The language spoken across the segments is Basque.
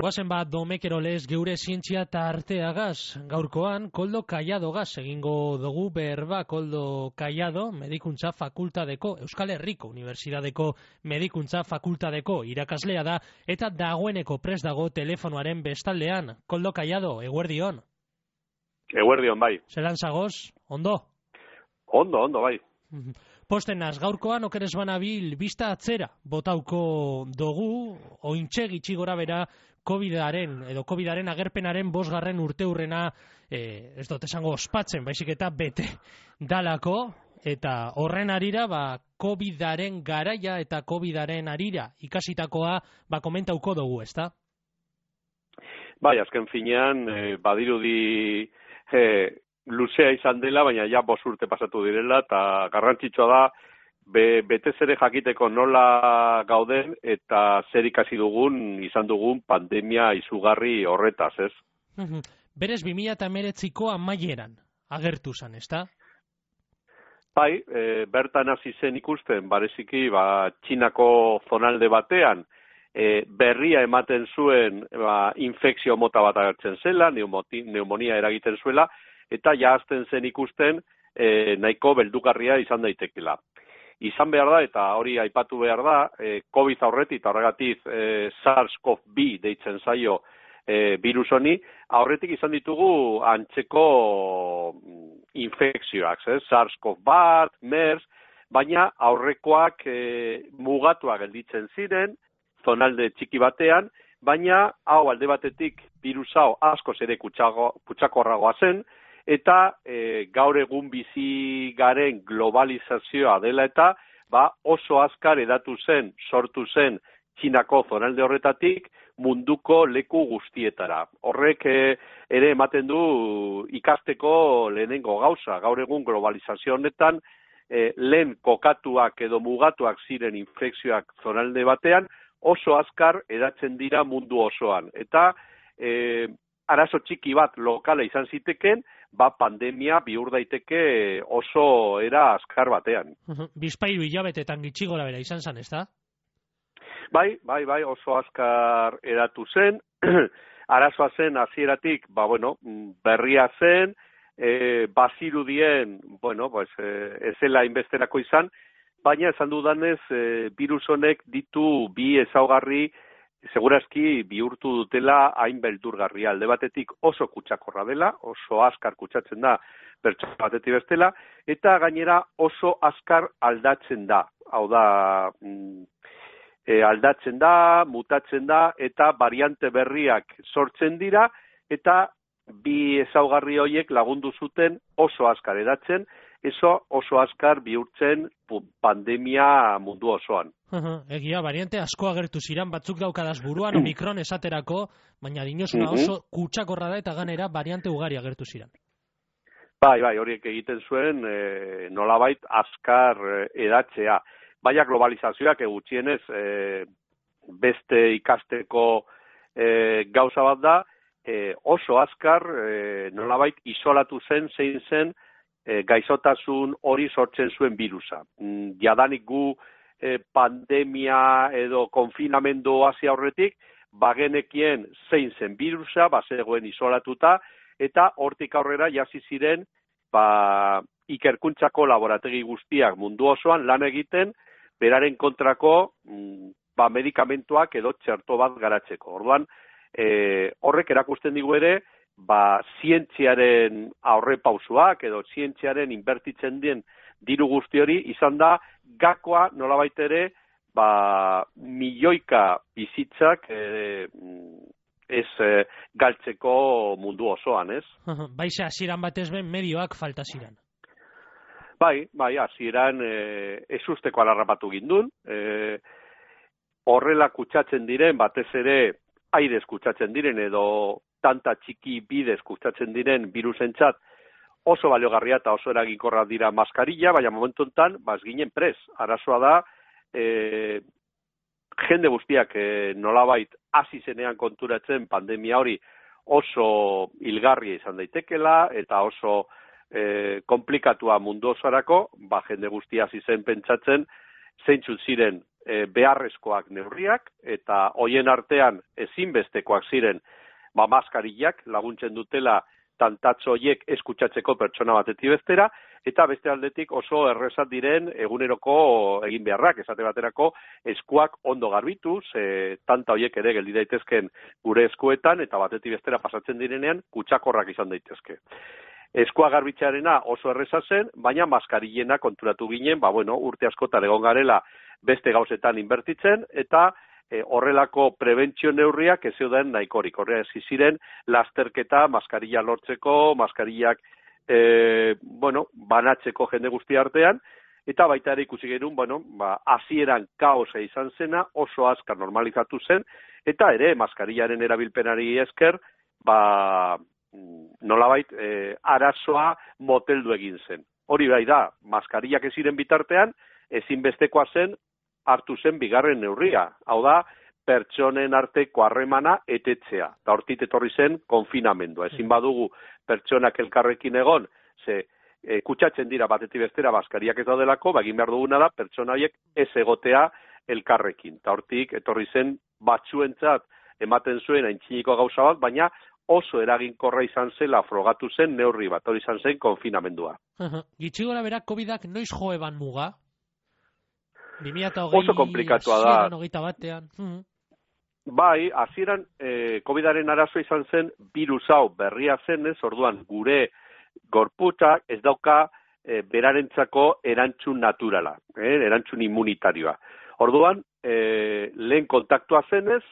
Guazen bat domekerolez geure zientzia eta arteagaz. Gaurkoan, Koldo Kaiadogaz egingo dugu berba. Koldo Kaiado, medikuntza fakultadeko, Euskal Herriko Unibertsitateko medikuntza fakultadeko irakaslea da, eta dagoeneko prest dago telefonoaren bestaldean. Koldo Kaiado, eguerdion. Eguerdion, bai. Zelan zagoz, ondo? Ondo, bai. Posten naz, gaurkoan okeres banabil bista atzera botauko dugu, ointxe gitxi gora bera COVID-aren agerpenaren 5. urteurrena, ez dut esango ospatzen, baizik eta bete dalako, eta horren arira, COVID-aren garaia eta COVID-aren arira ikasitakoa komentauko dugu, ezta? Bai, azken finean, badirudi luzea izan dela, baina ja 5 urte pasatu direla, eta garrantzitsua da, betez ere jakiteko nola gauden, eta zer ikasi dugun, izan dugun pandemia izugarri horretaz, ez? Berez 2019ko amaieran agertu zen, ezta? Bai, bertan hasi zen ikusten, bareziki, Txinako zonalde batean, berria ematen zuen infekzio mota bat agertzen zela, pneumonia eragiten zuela, eta jazten zen ikusten nahiko beldugarria izan daitekela. Izan behar da, eta hori aipatu behar da, COVID aurretik, eta horregatik SARS-CoV-2 deitzen zaio virus honi, aurretik izan ditugu antzeko infekzioak, SARS-CoV-2, MERS, baina aurrekoak mugatuak gelditzen ziren, zonalde txiki batean, baina hau alde batetik virus hau askoz ere kutsakorragoa zen, eta gaur egun bizi garen globalizazioa dela eta oso azkar sortu zen Txinako zonalde horretatik munduko leku guztietara. Horrek ere ematen du ikasteko lehenengo gauza. Gaur egun globalizazio honetan lehen kokatuak edo mugatuak ziren infekzioak zonalde batean oso azkar edatzen dira mundu osoan. Eta arazo txiki bat lokala izan ziteken, pandemia bihur daiteke oso era azkar batean. Bizpairu hilabetetan gitxi gora bera izan zen, ezta? Bai, oso azkar eratu zen, arazoa zen hasieratik, berria zen, bazirudien, ez zela inbesterako izan, baina esan dudanez, virus honek ditu bi ezaugarri segurazki bihurtu dutela hain beldurgarria. Alde batetik oso kutsakorra dela, oso azkar kutsatzen da pertsona batetik bestela, eta gainera oso azkar aldatzen da. Hau da, aldatzen da, mutatzen da, eta variante berriak sortzen dira, eta bi ezaugarri horiek lagundu zuten oso azkar edatzen, oso azkar bihurtzen pandemia mundu osoan. Egia, variante asko agertu ziren, batzuk daukadaz buruan, Omikron esaterako, baina dinosuna oso kutsakorra da eta ganera variante ugari agertu ziren. Bai, horiek egiten zuen nolabait azkar edatzea. Baina globalizazioak gutxienez beste ikasteko gauza bat da, oso azkar nolabait isolatu zen, zein zen gaixotasun hori sortzen zuen virusa. Jadanik gu pandemia edo konfinamendu hasi aurretik, bagenekien zein zen virusa, bazegoen isolatuta, eta hortik aurrera jasi ziren ikerkuntzako laborategi guztiak mundu osoan lan egiten, beraren kontrako medikamentuak edo txerto bat garatzeko. Orduan, horrek erakusten digu ere, zientziaren aurrepausoak edo zientziaren inbertitzen den diru guzti hori izan da gakoa nolabait ere milioika bizitzak ez galtzeko mundu osoan, ez? Baixe hasieran batez ben medioak falta ziren. Bai, hasieran ezusteko alarrapatu gindun, horrela kutsatzen diren, batez ere airez kutsatzen diren edo tanta txiki bidez kutsatzen diren virusentzat oso baliogarria eta oso eraginkorra dira maskarilla, baina momentu honetan ez ginen pres. Arazoa da, jende guztiak nolabait hasi zenean konturatzen pandemia hori oso hilgarria izan daitekela eta oso konplikatua mundu osorako, jende guztia hasi zen pentsatzen zeintzuk ziren beharrezkoak neurriak, eta hoien artean ezinbestekoak ziren maskarillak laguntzen dutela tantatxo horiek eskutsatzeko pertsona batetik bestera, eta beste aldetik oso errezat diren eguneroko egin beharrak, esate baterako eskuak ondo garbituz, tanta horiek ere geldi daitezken gure eskuetan, eta batetik bestera pasatzen direnean kutsakorrak izan daitezke. Eskua garbitzearena oso erreza zen, baina maskarillena konturatu ginen, urte askotan egon garela beste gauzetan inbertitzen, eta horrelako prebentzio neurriak ez zeuden nahikorik. Horrela ez ziren lasterketa maskarilla lortzeko, maskarillak banatzeko jende guzti artean, eta baita ere ikusi genuen, hasieran kaosa izan zena, oso azkar normalizatu zen, eta ere maskarillaren erabilpenari esker, nolabait arazoa moteldu egin zen. Hori bai da, maskarillak ez ziren bitartean, ezinbestekoa zen hartu zen bigarren neurria. Hau da, pertsonen arteko harremana etetzea. Eta hortik etorri zen konfinamendua. Ezin badugu pertsonak elkarrekin egon, kutsatzen dira batetik bestera maskariak ez daudelako, egin behar duguna da pertsona horiek ez egotea elkarrekin. Eta hortik etorri zen batzuentzat ematen zuen aintziniko gauza bat, baina oso eraginkorra izan zela frogatu zen neurri bat, hori izan zen konfinamendua. Gitxi gora bera, COVID-ak noiz jo eban muga? 2020, oso komplikatua da. 2021 batean. Bai, hasieran COVID-aren arazoa izan zen virus hau berria zenez, orduan gure gorputzak ez dauka berarentzako erantzun naturala, erantzun immunitarioa. Orduan, lehen kontaktua zenez,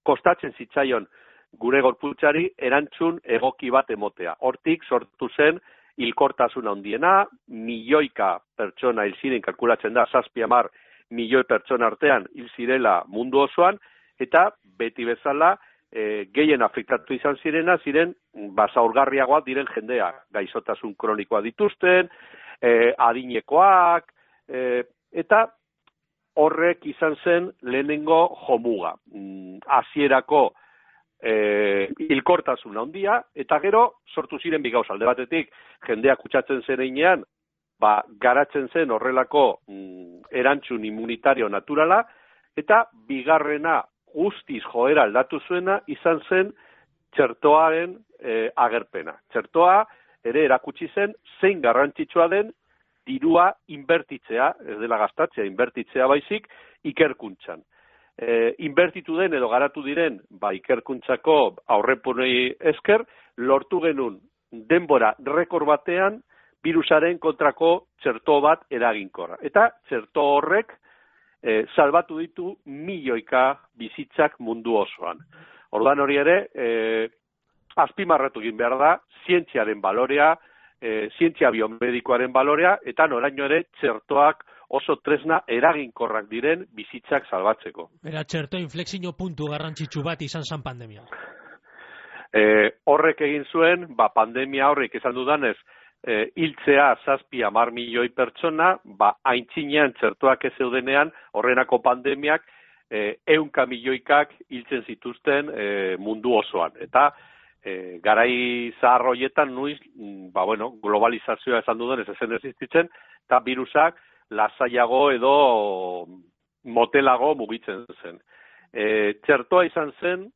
kostatzen zitzaion gure gorputzari erantzun egoki bat emotea. Hortik sortu zen hilkortasun handiena, milioika pertsona hil ziren, kalkulatzen da, 7-10 milioi pertsona artean hil zirela mundu osoan, eta beti bezala gehien afektatu izan zirena, ziren zaurgarriagoak diren jendea, gaixotasun kronikoa dituzten, adinekoak, eta horrek izan zen lehenengo jomuga. Hasierako hilkortasun handia, eta gero sortu ziren bi gauza. Alde batetik, jendeak kutsatzen zereinean, garatzen zen horrelako erantzun immunitario naturala, eta bigarrena guztiz joera aldatu zuena izan zen txertoaren agerpena. Txertoa ere erakutsi zen zein garrantzitsua den dirua inbertitzea, ez dela gastatzea, inbertitzea baizik, ikerkuntzan. Inbertitu den edo garatu diren, ikerkuntzako aurrepunei esker, lortu genuen denbora rekord batean virusaren kontrako txerto bat eraginkorra. Eta txerto horrek salbatu ditu milioika bizitzak mundu osoan. Orduan hori ere, azpimarratu egin behar da, zientziaren balorea, zientzia biomedikoaren balorea, eta noraino ere txertoak oso tresna eraginkorrak diren bizitzak salbatzeko. Era txerto inflexio puntu garrantzitsu bat izan zen pandemia. Horrek egin zuen, pandemia horrek esan dudanez, hiltzea 7-10 milioi pertsona, aintzinean txertoak ez zeudenean, horrenako pandemiak 100 milioikak hiltzen zituzten mundu osoan. Eta garai zahar horietan nuiz, globalizazioa esan dudanez ezen existitzen, eta virusak lasaiago edo motelago mugitzen zen. Txertoa izan zen,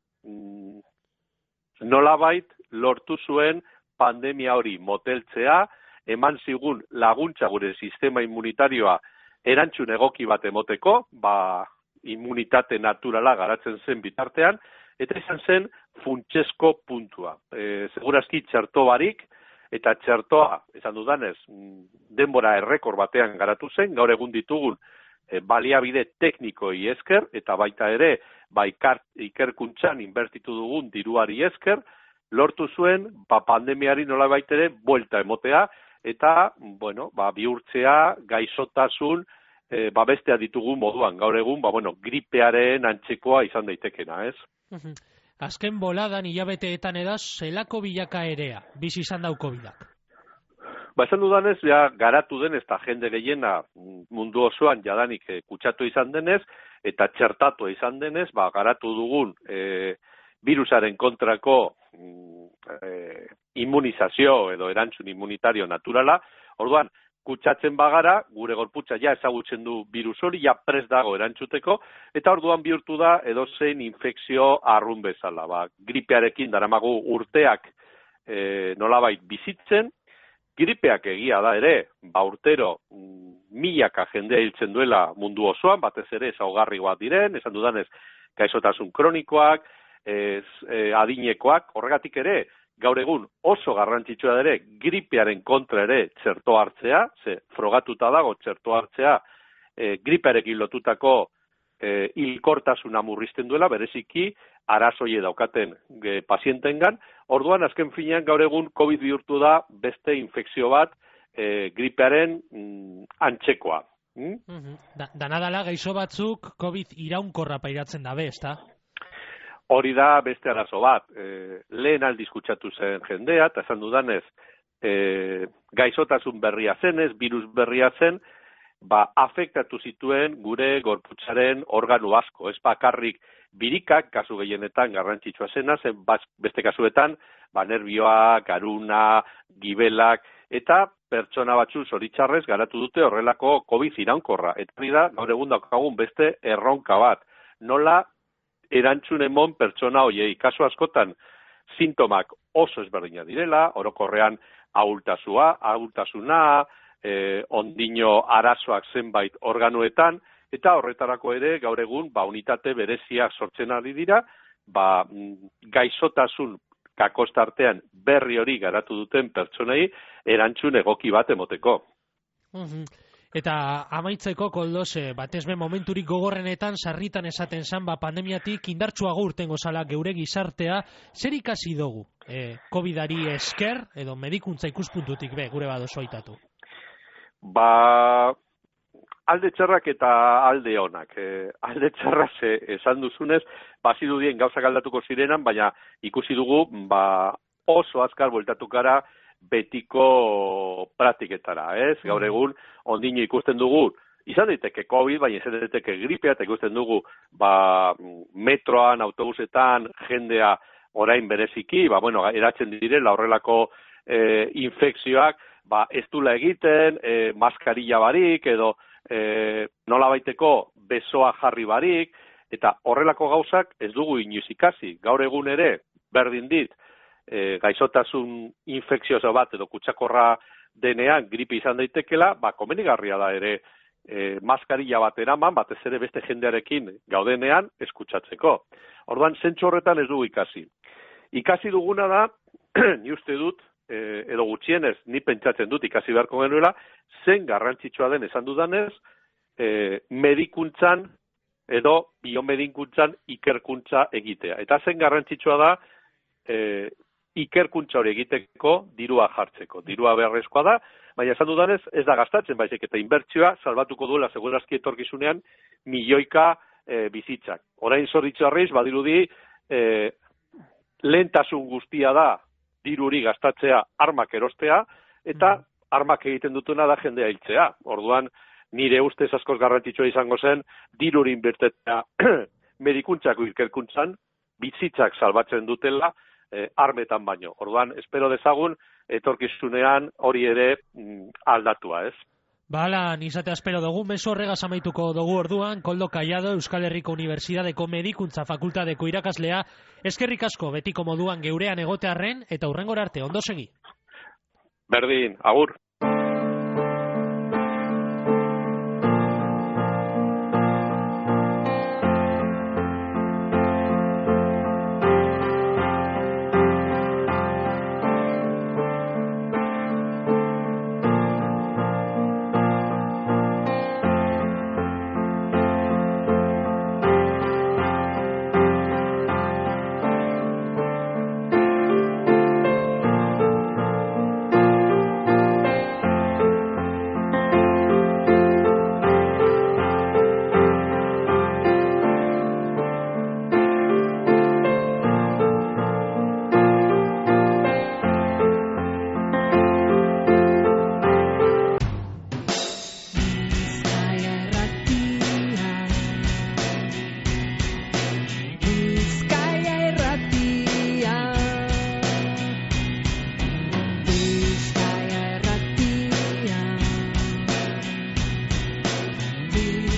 nolabait lortu zuen pandemia hori moteltzea, eman zigun laguntza gure sistema immunitarioa erantzun egoki bat emoteko, immunitate naturala garatzen zen bitartean, eta izan zen funtsezko puntua. Segurazki txerto barik, eta txertoa, esan dudanez, denbora errekor batean garatu zen, gaur egun ditugun baliabide teknikoi esker, eta baita ere, ikerkuntzan inbertitu dugun diruari esker, lortu zuen, pandemiari nola baita ere, buelta emotea, eta, bihurtzea, gaixotasun, bestea ditugun moduan, gaur egun, gripearen antzekoa izan daitekena, ez? Azken boladan hilabeteetan edaz, zelako bilakaerea, bizi izan dau COVID-ak? Esan dudanez, garatu denez, eta jende gehiena mundu osoan jadanik kutsatu izan denez, eta txertatu izan denez, garatu dugun virusaren kontrako immunizazio edo erantzun immunitario naturala. Orduan, kutsatzen bagara, gure gorputza ja ezagutzen du virus hori, ja prest dago erantzuteko, eta orduan bihurtu da edozein infekzio arrun bezala. Gripearekin daramagu urteak nolabait bizitzen, gripeak egia da ere, urtero milaka jendea hiltzen duela mundu osoan, batez ere ezaugarri bat diren, esan dudanez, gaixotasun kronikoak, adinekoak, horregatik ere, gaur egun oso garrantzitsua ere gripearen kontra ere txerto hartzea, ze frogatuta dago txerto hartzea gripearekin lotutako hilkortasuna murrizten duela, bereziki arazoie daukaten pazientengan. Orduan, azken finean gaur egun COVID bihurtu da beste infekzio bat gripearen antzekoa. Danadala gaixo batzuk COVID iraunkorra pairatzen dabe, ezta? Hori da beste arazo bat. Lehen aldiz kutsatu zen jendea, eta esan dudanez, gaixotasun berria zenez, virus berria zen, afektatu zituen gure gorputzaren organu asko. Ez bakarrik birikak, kasu gehienetan garrantzitsua zena, zen beste kasuetan, nerbioak, garuna, gibelak, eta pertsona batzu zoritxarrez garatu dute horrelako COVID iraunkorra. Eta hori da, gaur egun daukagun beste erronka bat. Nola erantzun emon pertsona hoiei. Kasu askotan, sintomak oso ezberdina direla, orokorrean ahultasuna, ondino arazoak zenbait organuetan, eta horretarako ere gaur egun unitate bereziak sortzen ari dira, gaixotasun kakostartean berri hori garatu duten pertsonei erantzun egoki bat emoteko. Eta amaitzeko, Koldos, batezbe momenturik gogorrenetan sarritan esaten zan, pandemiatik indartsuago urtengo zala geure gizartea, zer ikasi dugu COVID-ari esker, edo medikuntza ikuspuntutik gure badozo aitatu? Alde txarrak eta alde onak. Alde txarra esan duzunez, bazirudien gauzak aldatuko zirenan, baina ikusi dugu oso azkar bueltatu gara betiko praktiketara, ez? Gaur egun, ondino ikusten dugu, izan daiteke COVID, baina izan daiteke gripea, eta ikusten dugu, metroan, autobusetan, jendea orain bereziki, eratzen direla horrelako infekzioak, ez dula egiten, maskarilla barik, edo nola baiteko besoa jarri barik, eta horrelako gauzak ez dugu inoiz ikasi. Gaur egun ere, berdin dit, gaixotasun infekzioso bat edo kutsakorra denean gripe izan daitekela, komenigarria da ere maskarilla bat eraman, batez ere beste jendearekin gaudenean eskutsatzeko. Orduan, zentzu horretan ez dugu ikasi. Ikasi duguna da, ni uste dut, edo gutxienez, ni pentsatzen dut ikasi beharko genuela, zen garrantzitsua den esan dudanez, medikuntzan edo biomedikuntzan ikerkuntza egitea. Eta zen garrantzitsua da, ikerkuntza hori egiteko dirua jartzeko. Dirua beharrezkoa da, baina esan dudanez ez da gastatzen, baizik eta inbertsioa salbatuko duela segurazki etorkizunean milioika bizitzak. Orain zoritxarriz, badirudi, lehentasun guztia da diruri gastatzea armak erostea, eta armak egiten dutuna da jendea hiltzea. Orduan, nire ustez askoz garrantzitsua izango zen, diruri inbertetzea medikuntzako ikerkuntzan, bizitzak salbatzen dutela, armetan baino. Orduan, espero dezagun, etorkizunean hori ere aldatua, ez? Bala, nizatea espero dugu, meso horregaz amaituko dugu orduan, Koldo Kaiado, Euskal Herriko Unibertsitateko Medikuntza Fakultateko irakaslea, eskerrik asko betiko moduan geurean egotearren, eta hurrengora arte, ondo segi. Berdin, agur. Euskadi